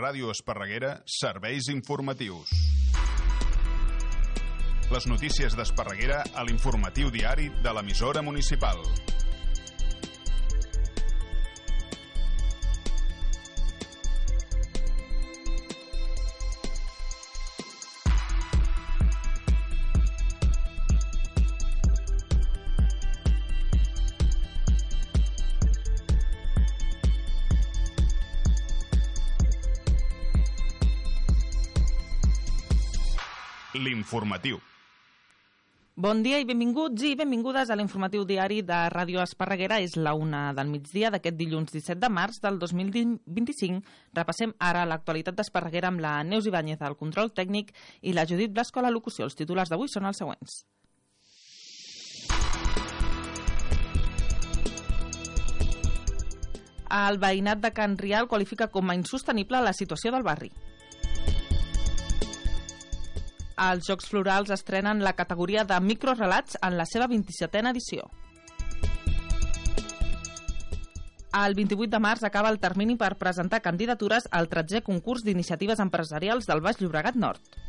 Ràdio Esparreguera, serveis informatius. Les notícies d'Esparreguera a l'informatiu diari de l'emissora municipal. L'informatiu. Bon dia i benvinguts i benvingudes a l'informatiu diari de Ràdio Esparreguera. És la 1 del migdia d'aquest dilluns 17 de març del 2025. Repassem ara l'actualitat d'Esparreguera amb la Neus Ibáñez al control tècnic i la Judit Blasco a la locució. Els titulars d'avui són els següents. El veïnat de Can Rial qualifica com a insostenible la situació del barri. Els Jocs Florals estrenen la categoria de microrelats en la seva 27a edició. El 28 de març acaba el termini per presentar candidatures al 13è concurs d'iniciatives empresarials del Baix Llobregat Nord.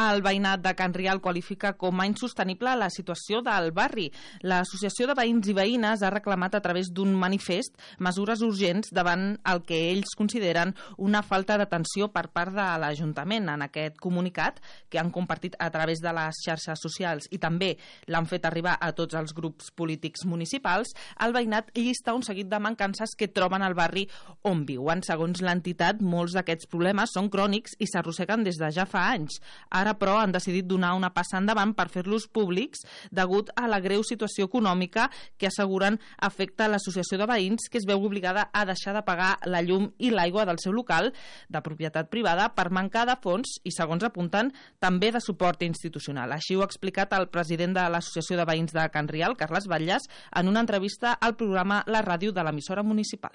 El veïnat de Can Rial qualifica com a insostenible la situació del barri. L'Associació de Veïns i Veïnes ha reclamat a través d'un manifest mesures urgents davant el que ells consideren una falta d'atenció per part de l'Ajuntament. En aquest comunicat, que han compartit a través de les xarxes socials i també l'han fet arribar a tots els grups polítics municipals, el veïnat llista un seguit de mancances que troben al barri on viuen. Segons l'entitat, molts d'aquests problemes són crònics i s'arrosseguen des de ja fa anys. Ara, però, han decidit donar una passa endavant per fer-los públics degut a la greu situació econòmica que asseguren afecta l'associació de veïns, que es veu obligada a deixar de pagar la llum i l'aigua del seu local de propietat privada per mancar de fons i, segons apunten, també de suport institucional. Així ho ha explicat el president de l'Associació de Veïns de Can Rial, Carles Batlles, en una entrevista al programa La Ràdio de l'emissora municipal.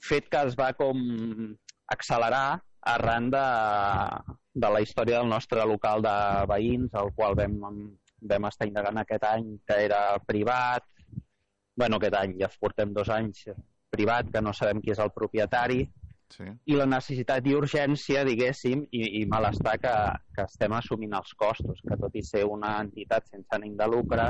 Fet que es va com accelerar arran de la història del nostre local de veïns, el qual vam estar indagant aquest any, que era privat. Aquest any ja portem 2 anys privat, que no sabem qui és el propietari. Sí. I la necessitat i urgència, diguéssim, i malestar que estem assumint els costos, que tot i ser una entitat sense ànim de lucre,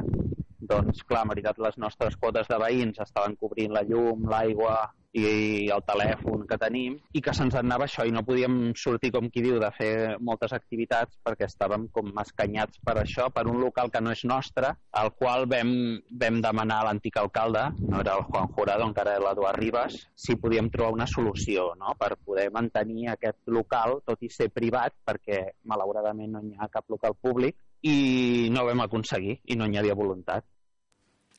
doncs clar, en veritat les nostres quotes de veïns estaven cobrint la llum, l'aigua i el telèfon que tenim, i que se'ns anava això i no podíem sortir, com qui diu, de fer moltes activitats perquè estàvem com escanyats per això, per un local que no és nostre, al qual vam demanar a l'antic alcalde, no era el Juan Jurado, encara era l'Eduard Ribas, si podíem trobar una solució, no?, per poder mantenir aquest local, tot i ser privat, perquè malauradament no hi ha cap local públic, i no ho vam aconseguir, i no hi havia voluntat.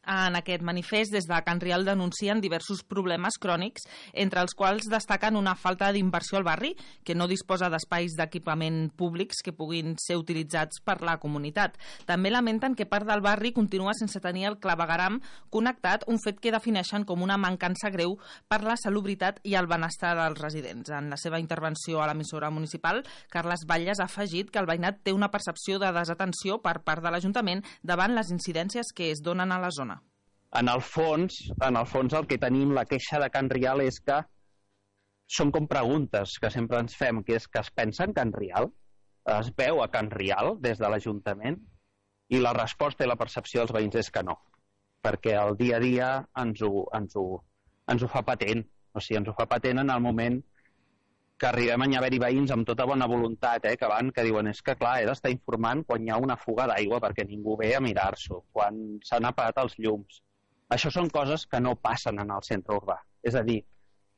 En aquest manifest, des de Can Rial denuncien diversos problemes crònics, entre els quals destaquen una falta d'inversió al barri, que no disposa d'espais d'equipament públics que puguin ser utilitzats per la comunitat. També lamenten que part del barri continua sense tenir el clavegueram connectat, un fet que defineixen com una mancança greu per la salubritat i el benestar dels residents. En la seva intervenció a l'emissora municipal, Carles Batlles ha afegit que el veïnat té una percepció de desatenció per part de l'Ajuntament davant les incidències que es donen a la zona. En el fons el que tenim, la queixa de Can Rial, és que són com preguntes que sempre ens fem, que és que es pensa en Can Rial? Es veu a Can Rial des de l'Ajuntament? I la resposta i la percepció dels veïns és que no, perquè el dia a dia ens ho fa patent. O sigui, ens ho fa patent en el moment que arribem a haver-hi veïns amb tota bona voluntat, que diuen, és que clar, he d'estar informant quan hi ha una fuga d'aigua perquè ningú ve a mirar-s'ho, quan s'han apagat els llums. Això són coses que no passen en el centre urbà. És a dir,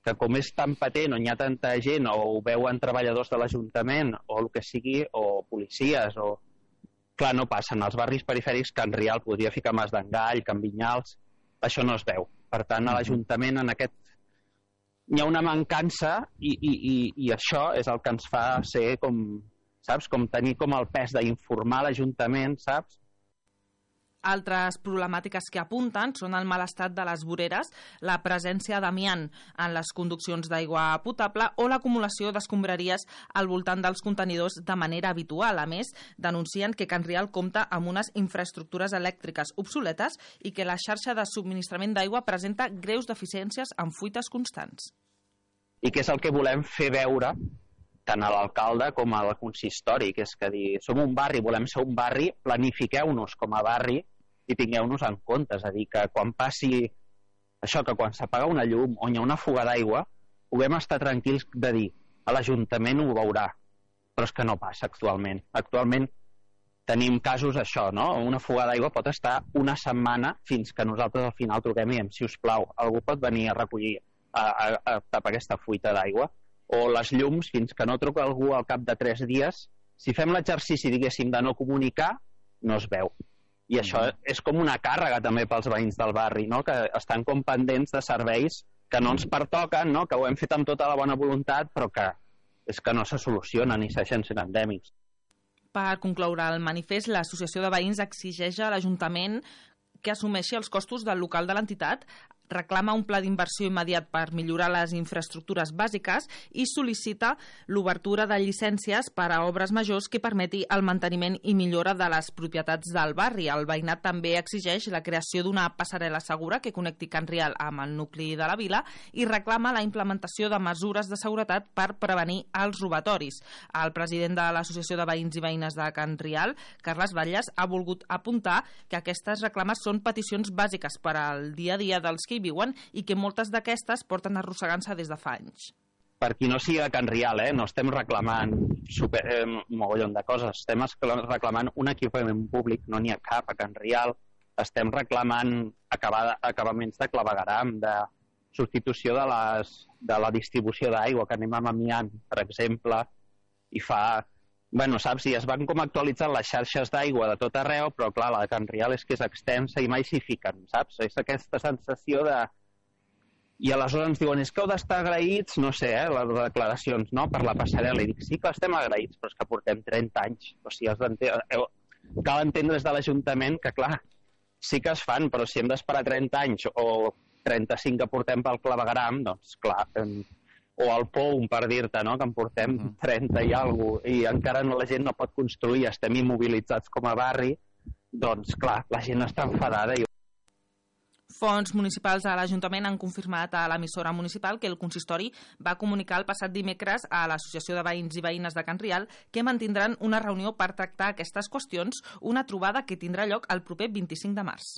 que com és tan patent, on hi ha tanta gent, o ho veuen treballadors de l'Ajuntament, o el que sigui, o policies, o... Clar, no passen. Als barris perifèrics, Can Rial, podria ficar Mas d'Engall, Can Vinyals, això no es veu. Per tant, a l'Ajuntament, en aquest... Hi ha una mancança i això és el que ens fa ser com, saps, com tenir com el pes d'informar l'Ajuntament, saps? Altres problemàtiques que apunten són el mal estat de les voreres, la presència d'amiant en les conduccions d'aigua potable o l'acumulació d'escombraries al voltant dels contenidors de manera habitual. A més, denuncien que Can Rial compta amb unes infraestructures elèctriques obsoletes i que la xarxa de subministrament d'aigua presenta greus deficiències amb fuites constants. I què és el que volem fer veure tant a l'alcalde com al consistori, que és que dir, som un barri, volem ser un barri, planifiqueu-nos com a barri i tingueu-nos en compte. És a dir, que quan passi això, que quan s'apaga una llum o hi ha una fuga d'aigua, puguem estar tranquils de dir, a l'Ajuntament ho veurà, però és que no passa actualment. Actualment tenim casos això, no? Una fuga d'aigua pot estar una setmana fins que nosaltres al final truquem i diem, si us plau, algú pot venir a recollir, a tapar aquesta fuita d'aigua, o les llums, fins que no truca algú al cap de 3 dies, si fem l'exercici, diguéssim, de no comunicar, no es veu. I això és com una càrrega també pels veïns del barri, no? Que estan com pendents de serveis que no ens pertoquen, no? Que ho hem fet amb tota la bona voluntat, però que és que no se solucionen i segueixen sent endèmics. Per concloure el manifest, l'Associació de Veïns exigeix a l'Ajuntament que assumeixi els costos del local de l'entitat, reclama un pla d'inversió immediat per millorar les infraestructures bàsiques i sol·licita l'obertura de llicències per a obres majors que permeti el manteniment i millora de les propietats del barri. El veïnat també exigeix la creació d'una passarel·la segura que connecti Can Rial amb el nucli de la vila i reclama la implementació de mesures de seguretat per prevenir els robatoris. El president de l'Associació de Veïns i Veïnes de Can Rial, Carles Batlles, ha volgut apuntar que aquestes reclames són peticions bàsiques per al dia a dia dels que hi viuen i que moltes d'aquestes porten arrossegant-se des de fa anys. Per qui no sigui a Can Rial, no estem reclamant un mogollon de coses, estem reclamant un equipament públic, no n'hi ha cap a Can Rial, estem reclamant acabaments de clavegueram, de substitució de la distribució d'aigua, que anem amb amiant, per exemple, i fa... Bueno, saps, i es van com actualitzant les xarxes d'aigua de tot arreu, però clar, la de Can Rial és que és extensa i mai s'hi fiquen, saps? És aquesta sensació de... I aleshores ens diuen, és que heu d'estar agraïts, no sé, les declaracions, no?, per la passarel·la. I dic, sí que estem agraïts, però és que portem 30 anys. O sigui, cal entendre des de l'Ajuntament que, clar, sí que es fan, però si hem d'esperar 30 anys o 35 que portem pel clavegueram, doncs, clar... o el POUM, per dir-te, no?, que en portem 30 i alguna cosa, i encara la gent no pot construir, estem immobilitzats com a barri, doncs, clar, la gent està enfadada. Fons municipals a l'Ajuntament han confirmat a l'emissora municipal que el consistori va comunicar el passat dimecres a l'Associació de Veïns i Veïnes de Can Rial que mantindran una reunió per tractar aquestes qüestions, una trobada que tindrà lloc el proper 25 de març.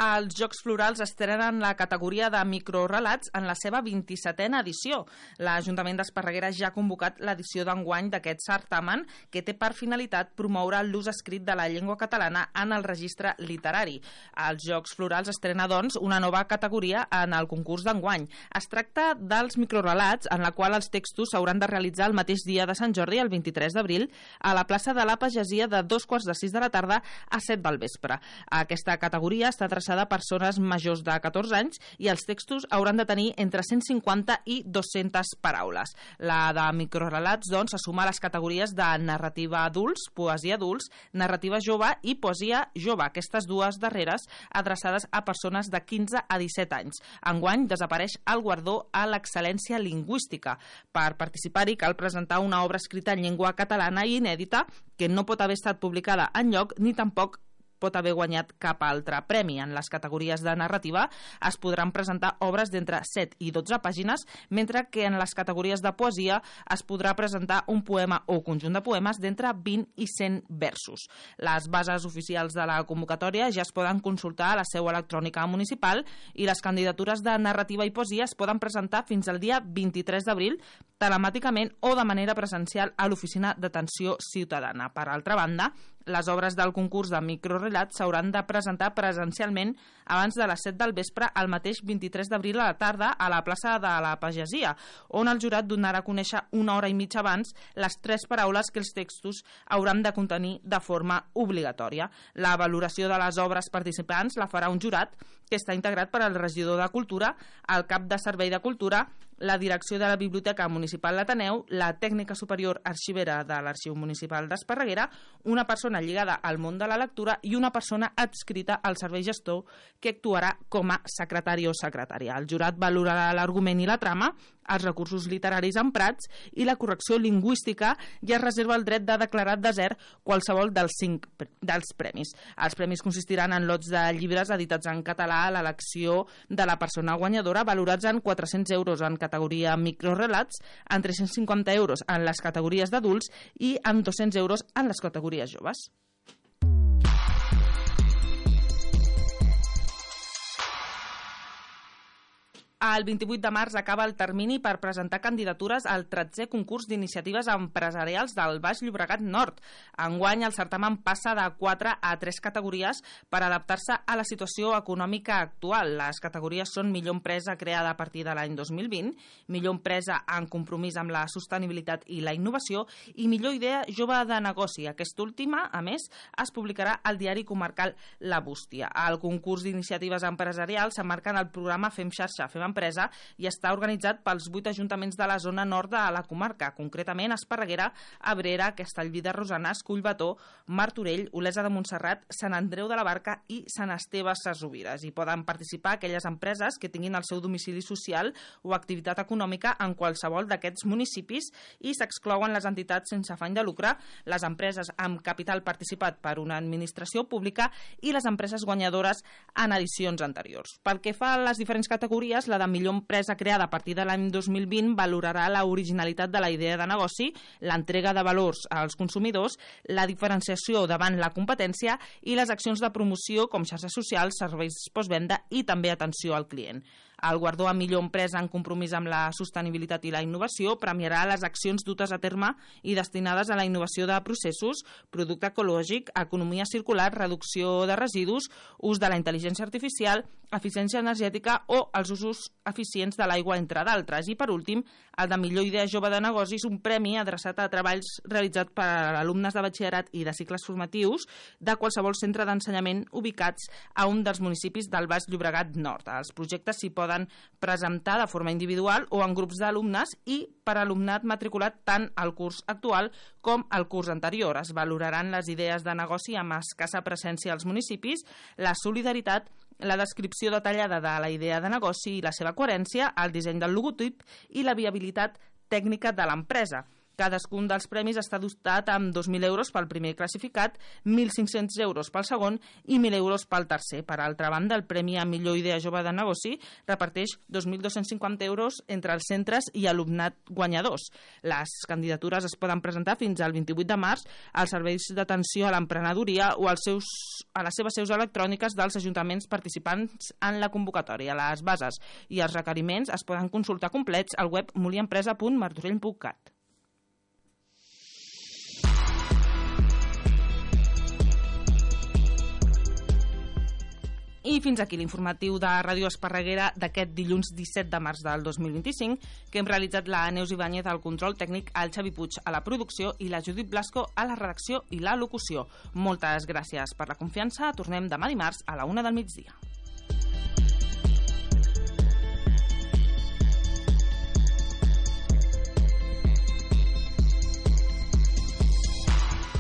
Els Jocs Florals estrenen la categoria de microrelats en la seva 27a edició. L'Ajuntament d'Esparreguera ja ha convocat l'edició d'enguany d'aquest certamen que té per finalitat promoure l'ús escrit de la llengua catalana en el registre literari. Els Jocs Florals estrena, doncs, una nova categoria en el concurs d'enguany. Es tracta dels microrelats en la qual els textos s'hauran de realitzar el mateix dia de Sant Jordi, el 23 d'abril, a la plaça de la Pagesia de 2:45 de la tarda a 7 del vespre. Aquesta categoria està adreçada a persones majors de 14 anys i els textos hauran de tenir entre 150 i 200 paraules. La de microrelats, doncs, se suma a les categories de narrativa adults, poesia adults, narrativa jove i poesia jove, aquestes dues darreres adreçades a persones de 15 a 17 anys. Enguany desapareix el guardó a l'excel·lència lingüística. Per participar-hi cal presentar una obra escrita en llengua catalana i inèdita que no pot haver estat publicada enlloc ni tampoc pot haver guanyat cap altre premi. En les categories de narrativa es podran presentar obres d'entre 7 i 12 pàgines, mentre que en les categories de poesia es podrà presentar un poema o conjunt de poemes d'entre 20 i 100 versos. Les bases oficials de la convocatòria ja es poden consultar a la seu electrònica municipal i les candidatures de narrativa i poesia es poden presentar fins al dia 23 d'abril telemàticament o de manera presencial a l'Oficina d'Atenció Ciutadana. Per altra banda, les obres del concurs de microrelats s'hauran de presentar presencialment abans de les 7 del vespre el mateix 23 d'abril a la tarda a la plaça de la Pagesia, on el jurat donarà a conèixer una hora i mitja abans les 3 paraules que els textos hauran de contenir de forma obligatòria. La valoració de les obres participants la farà un jurat que està integrat per al regidor de Cultura, el cap de Servei de Cultura, la direcció de la Biblioteca Municipal l'Ateneu, la tècnica superior arxivera de l'Arxiu Municipal d'Esparreguera, una persona lligada al món de la lectura i una persona adscrita al servei gestor que actuarà com a secretari o secretària. El jurat valorarà l'argument i la trama, els recursos literaris emprats i la correcció lingüística i es reserva el dret de declarar desert qualsevol dels premis. Els premis consistiran en lots de llibres editats en català a l'elecció de la persona guanyadora, valorats en 400 euros en categoria microrelats, en 350 euros en les categories d'adults i en 200 euros en les categories joves. El 28 de març acaba el termini per presentar candidatures al 13è concurs d'iniciatives empresarials del Baix Llobregat Nord. Enguany, el certamen passa de 4 a 3 categories per adaptar-se a la situació econòmica actual. Les categories són millor empresa creada a partir de l'any 2020, millor empresa en compromís amb la sostenibilitat i la innovació i millor idea jove de negoci. Aquesta última, a més, es publicarà al diari comarcal La Bústia. El concurs d'iniciatives empresarials s'emmarca en el programa Fem Xarxa, Fem Empresa i està organitzat pels 8 ajuntaments de la zona nord de la comarca, concretament Esparreguera, Abrera, Castellví de Rosanes, Collbató, Martorell, Olesa de Montserrat, Sant Andreu de la Barca i Sant Esteve Sesrovires. Hi poden participar aquelles empreses que tinguin el seu domicili social o activitat econòmica en qualsevol d'aquests municipis i s'exclouen les entitats sense afany de lucre, les empreses amb capital participat per una administració pública i les empreses guanyadores en edicions anteriors. Pel que fa a les diferents categories, la de millor empresa creada a partir de l'any 2020 valorarà la originalitat de la idea de negoci, l'entrega de valors als consumidors, la diferenciació davant la competència i les accions de promoció com xarxes socials, serveis postvenda i també atenció al client. El guardó a millor empresa en compromís amb la sostenibilitat i la innovació premiarà les accions dutes a terme i destinades a la innovació de processos, producte ecològic, economia circular, reducció de residus, ús de la intel·ligència artificial, eficiència energètica o els usos eficients de l'aigua, entre d'altres. I, per últim, el de millor idea jove de negocis, un premi adreçat a treballs realitzats per alumnes de batxillerat i de cicles formatius de qualsevol centre d'ensenyament ubicats a un dels municipis del Baix Llobregat Nord. Els projectes s'hi poden presentar de forma individual o en grups d'alumnes i per alumnat matriculat tant al curs actual com al curs anterior. Es valoraran les idees de negoci amb escassa presència als municipis, la solidaritat, la descripció detallada de la idea de negoci i la seva coherència, el disseny del logotip i la viabilitat tècnica de l'empresa. Cadascun dels premis està dotat amb 2.000 euros pel primer classificat, 1.500 euros pel segon i 1.000 euros pel tercer. Per altra banda, el Premi a Millor Idea Jove de Negoci reparteix 2.250 euros entre els centres i alumnat guanyadors. Les candidatures es poden presentar fins al 28 de març als serveis d'atenció a l'emprenedoria o a les seves seus electròniques dels ajuntaments participants en la convocatòria. Les bases i els requeriments es poden consultar complets al web muliempresa.martorell.cat. I fins aquí l'informatiu de Ràdio Esparreguera d'aquest dilluns 17 de març del 2025, que hem realitzat la Neus Ibáñez al control tècnic, el Xavi Puig a la producció i la Judit Blasco a la redacció i la locució. Moltes gràcies per la confiança. Tornem demà dimarts a la 1 del migdia.